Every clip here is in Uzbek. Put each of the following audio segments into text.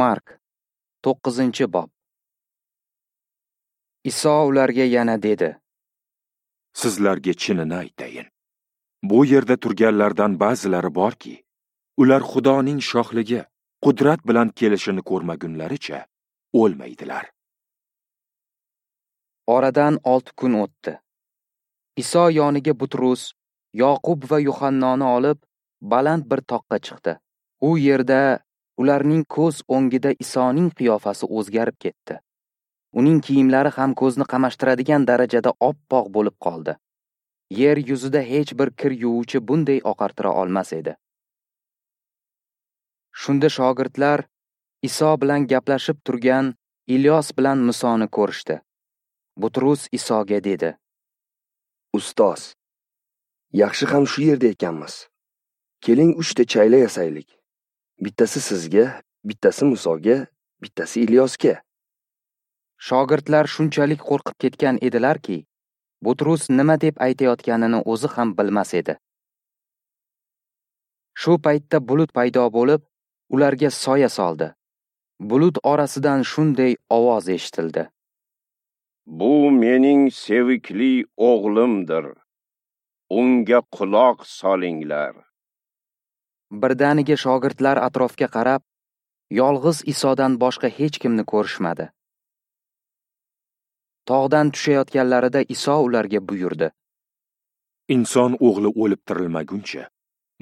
Mark 9-bob. Iso ularga yana dedi: Sizlarga chinini aytayin. Bu yerda turganlardan ba'zilari borki, ular Xudoning shohligi qudrat bilan kelishini ko'rmagunlaricha o'lmaydilar. Oradan 6 kun o'tdi. Iso yoniga Butrus, Yoqub va Yuhannoni olib, baland bir toqqa chiqdi. U yerda ularning ko'z o'ngida Isoning qiyofasi o'zgarib ketdi. Uning kiyimlari ham ko'zni qamashtiradigan darajada oppoq bo'lib qoldi. Yer yuzida hech bir kir yuvuvchi bunday oqartira olmas edi. Shunda shogirdlar Iso bilan gaplashib turgan Ilyos bilan Musoni ko'rishdi. Butrus Isoga dedi: Ustoz, yaxshi ham shu yerda ekanmiz. Keling 3 ta chayla yasaylik. Bittasi sizga, bittasi Musoga, bittasi Ilyosga. Shogirdlar shunchalik qo'rqib ketgan edilarki, Butrus nima deb aytayotganini o'zi ham bilmas edi. Shu paytda bulut paydo bo'lib, ularga soya soldi. Bulut orasidan shunday ovoz eshitildi: Bu mening sevikli o'g'limdir. Unga quloq solinglar. Birdaniga shogirdlar atrofga qarab, yolg'iz Isodan boshqa hech kimni ko'rishmadi. Tog'dan tushayotganlarida Iso ularga buyurdi: Inson o'g'li o'lib tirilmaguncha,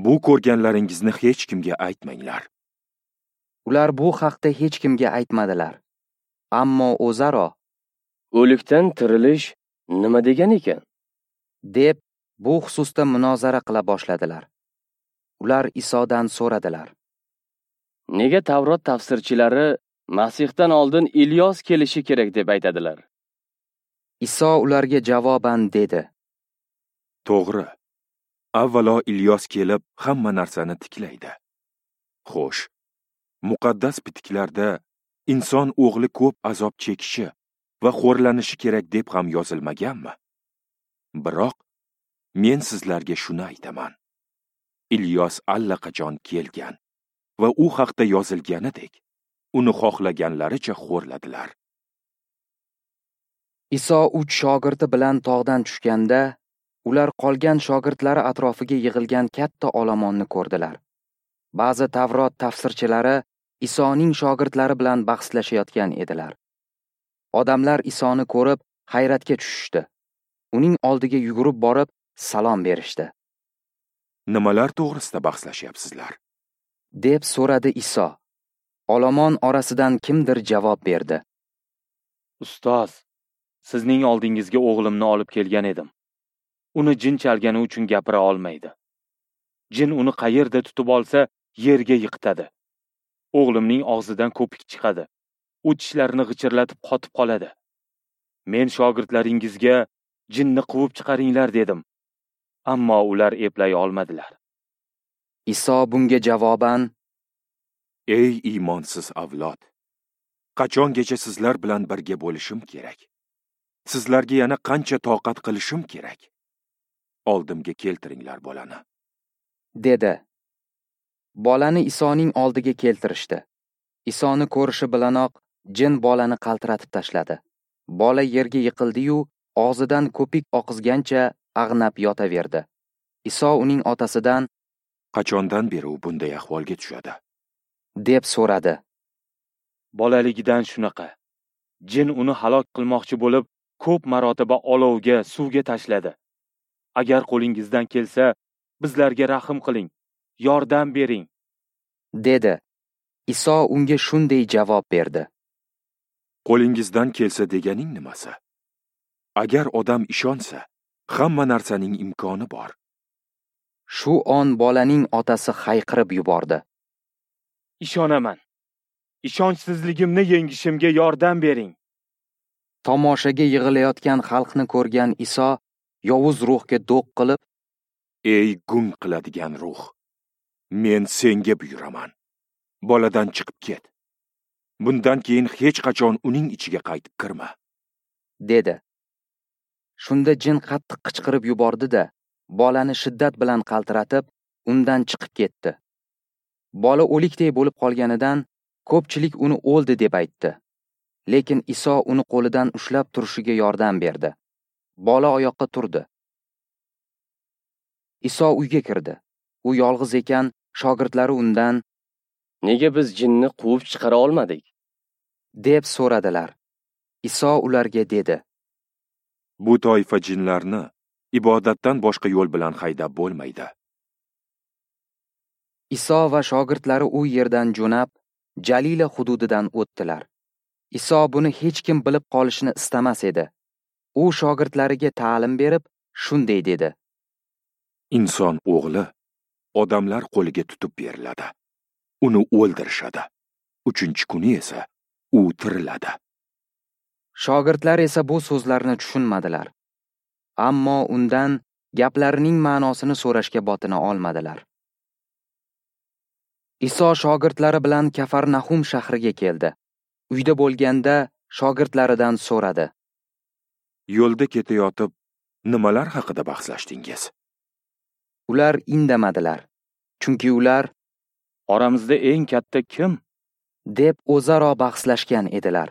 bu ko'rganlaringizni hech kimga aytmanglar. Ular bu haqda hech kimga aytmadilar. Ammo o'zaro o'likdan tirilish nima degan ekan, deb bu xususda munozara qila boshladilar. Ular Isodan so'radilar: Nega Tavrot tafsirchilari Masihdan oldin Ilyos kelishi kerak deb aytadilar? Iso ularga javoban dedi: To'g'ri. Avvalo Ilyos kelib hamma narsani tiklaydi. Xo'sh, muqaddas bitiklarda inson o'g'li ko'p azob chekishi va xo'rlanishi kerak deb ham yozilmaganmi? Biroq men sizlarga shuni aytaman. Ilyos allaqachon kelgan va u haqda yozilganidek uni xohlaganlaricha xo'rladilar. Iso 3 shogirdi bilan tog'dan tushganda, ular qolgan shogirdlari atrofiga yig'ilgan katta olomonni ko'rdilar. Ba'zi Tavrot tafsirchilari Isoning shogirdlari bilan bahslashayotgan edilar. Odamlar Isoni ko'rib hayratga tushishdi. Uning oldiga yugurib borib salom berishdi. Nimalar to'g'risida bahslashyapsizlar? Deb so'radi Iso. Olomon orasidan kimdir javob berdi: Ustoz, sizning oldingizga o'g'limni olib kelgan edim. Uni jin chalgani uchun gapira olmaydi. Jin uni qayerda tutib olsa, yerga yiqitadi. O'g'limning og'zidan ko'pik chiqadi. U tishlarini g'ichirlatib qotib qoladi. Men shogirdlaringizga jinni quvib chiqaringlar dedim. Ammo ular eplay olmadilar. Iso bunga javoban: Ey iymonsiz avlod, qachongacha sizlar bilan birga bo'lishim kerak? Sizlarga yana qancha toqat qilishim kerak? Oldimga keltiringlar bolani, dedi. Bolani Isoning oldiga keltirishdi. Isoni ko'rishi bilanoq jin bolani qaltiratib tashladi. Bola yerga yiqildi-yu, og'zidan ko'pik oqizgancha ag'nab yotaverdi. Iso uning otasidan: Qachondan beri u bunday ahvolga tushadi? deb so'radi. Bolaligidan shunaqa. Jin uni halok qilmoqchi bo'lib, ko'p marotaba olovga, suvga tashladi. Agar qo'lingizdan kelsa, bizlarga rahim qiling, yordam bering, dedi. Iso unga shunday javob berdi: Qo'lingizdan kelsa deganing nimasi? Agar odam ishonsa, hamma narsaning imkoni bor. Shu on bolaning otasi hayqirib yubordi: Ishonaman. Ishonchsizligimni yengishimga yordam bering. Tomoshaga yig'ilayotgan xalqni ko'rgan Iso yovuz ruhga do'q qilib: Ey gung qiladigan ruh, men senga buyuraman. Boladan chiqib ket. Bundan keyin hech qachon uning ichiga qaytib kirma, dedi. Shunda jin qattiq qichqirib yubordi-da, bolani shiddat bilan qaltiratib, undan chiqib ketdi. Bola o'likday bo'lib qolganidan Ko'pchilik uni o'ldi deb aytdi. Lekin Iso uni qo'lidan ushlab turishiga yordam berdi. Bola oyoqqa turdi. Iso uyga kirdi. U yolg'iz ekan, shogirdlari undan: "Nega biz jinni quvib chiqara olmadik?" deb so'radilar. Iso ularga dedi: "Bu toifa jinlarni ibodatdan boshqa yo'l bilan haydab bo'lmaydi." Iso va shogirdlari u yerdan jo'nab, Jalila hududidan o'tdilar. Iso buni hech kim bilib qolishini istamas edi. U shogirdlariga ta'lim berib, shunday dedi: "Inson o'g'li odamlar qo'liga tutib beriladi. Uni o'ldirishadi. 3-kuni esa u tiriladi." Shogirdlar esa bu so'zlarni tushunmadilar. Ammo undan gaplarining ma'nosini so'rashga botina olmadilar. Iso shogirdlari bilan Kafarnahum shahriga keldi. Uyda bo'lganda shogirdlaridan so'radi: "Yo'lda ketayotib nimalar haqida bahslashdingiz?" Ular indamadilar, chunki ular "Oramizda eng katta kim?" deb o'zaro bahslashgan edilar.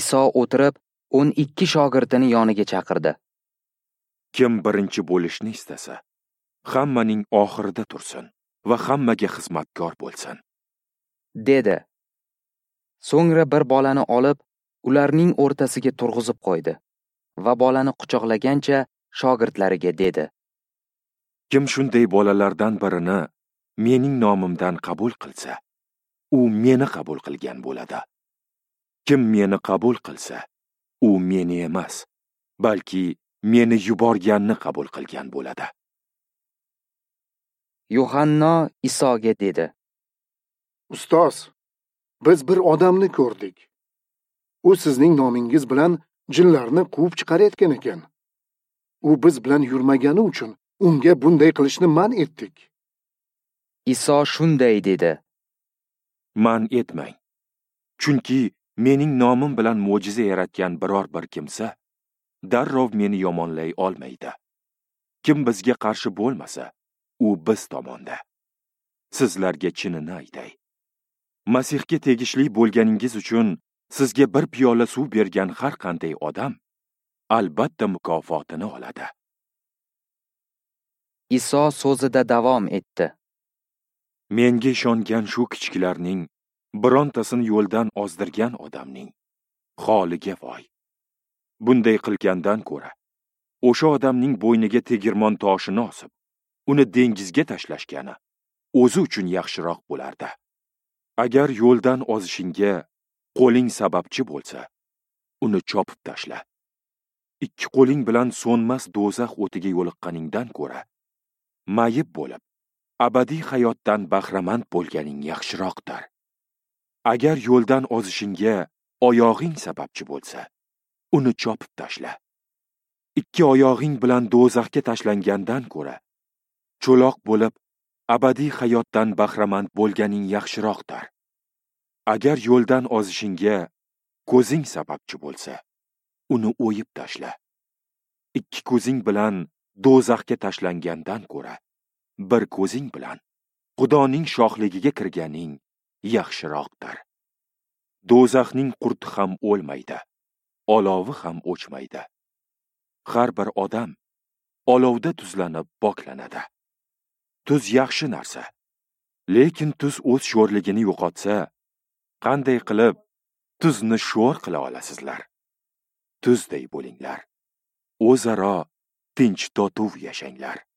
Iso o'tirib, 12 shogirdini yoniga chaqirdi. "Kim birinchi bo'lishni istasa, hammaning oxirida tursin va hammaga xizmatkor bo'lsin," dedi. So'ngra bir bolani olib, ularning o'rtasiga turg'izib qo'ydi va bolani quchoqlagancha shogirdlariga dedi: "Kim shunday bolalardan birini mening nomimdan qabul qilsa, u meni qabul qilgan bo'ladi. Kim meni qabul qilsa, u meni emas, balki meni yuborganni qabul qilgan bo'ladi." Yuhanno Isoga dedi: "Ustoz, biz bir odamni ko'rdik. U sizning nomingiz bilan jinlarni quvib chiqarayotgan ekan. U biz bilan yurmagani uchun unga bunday qilishni man etdik." Iso shunday dedi: "Man etmang. Chunki mening nomim bilan mo'jiza yaratgan biror bir kimsa darrov meni yomonlay olmaydi. Kim bizga qarshi bo'lmasa, u biz tomonda. Sizlarga chinini aytay. Masihga tegishli bo'lganingiz uchun sizga bir piyola suv bergan har qanday odam albatta mukofotini oladi." Iso so'zida davom etdi: "Menga ishongan shu kichiklarning birontasini yo'ldan ozdirgan odamning holiga voy. Bunday qilgandan ko'ra, o'sha odamning bo'yniga tegirmon toshini osib, uni dengizga tashlashgani o'zi uchun yaxshiroq bo'lardi. Agar yo'ldan ozishingga qo'ling sababchi bo'lsa, uni chopib tashla. Ikki qo'ling bilan so'nmas do'zax o'tiga yo'liqqaningdan ko'ra, mayib bo'lib, abadiy hayotdan bahramand bo'lganing yaxshiroqdir. Agar yo'ldan ozishingga oyog'ing sababchi bo'lsa, uni chopib tashla. Ikki oyog'ing bilan do'zaxga tashlangandan ko'ra, cho'loq bo'lib, abadiy hayotdan bahramand bo'lganing yaxshiroqdir. Agar yo'ldan ozishingga ko'zing sababchi bo'lsa, uni o'yib tashla. Ikki ko'zing bilan do'zaxga tashlangandan ko'ra, bir ko'zing bilan Xudoning shohligiga kirganing yaxshiroqdir. Do'zaxning qurti ham o'lmaydi, olovi ham o'chmaydi. Har bir odam olovda tuzlanib poklanadi. Tuz yaxshi narsa, lekin tuz o'z sho'rligini yo'qotsa, qanday qilib tuzni sho'r qila olasizlar? Tuzday bo'linglar, o'zaro tinch totuv yashanglar."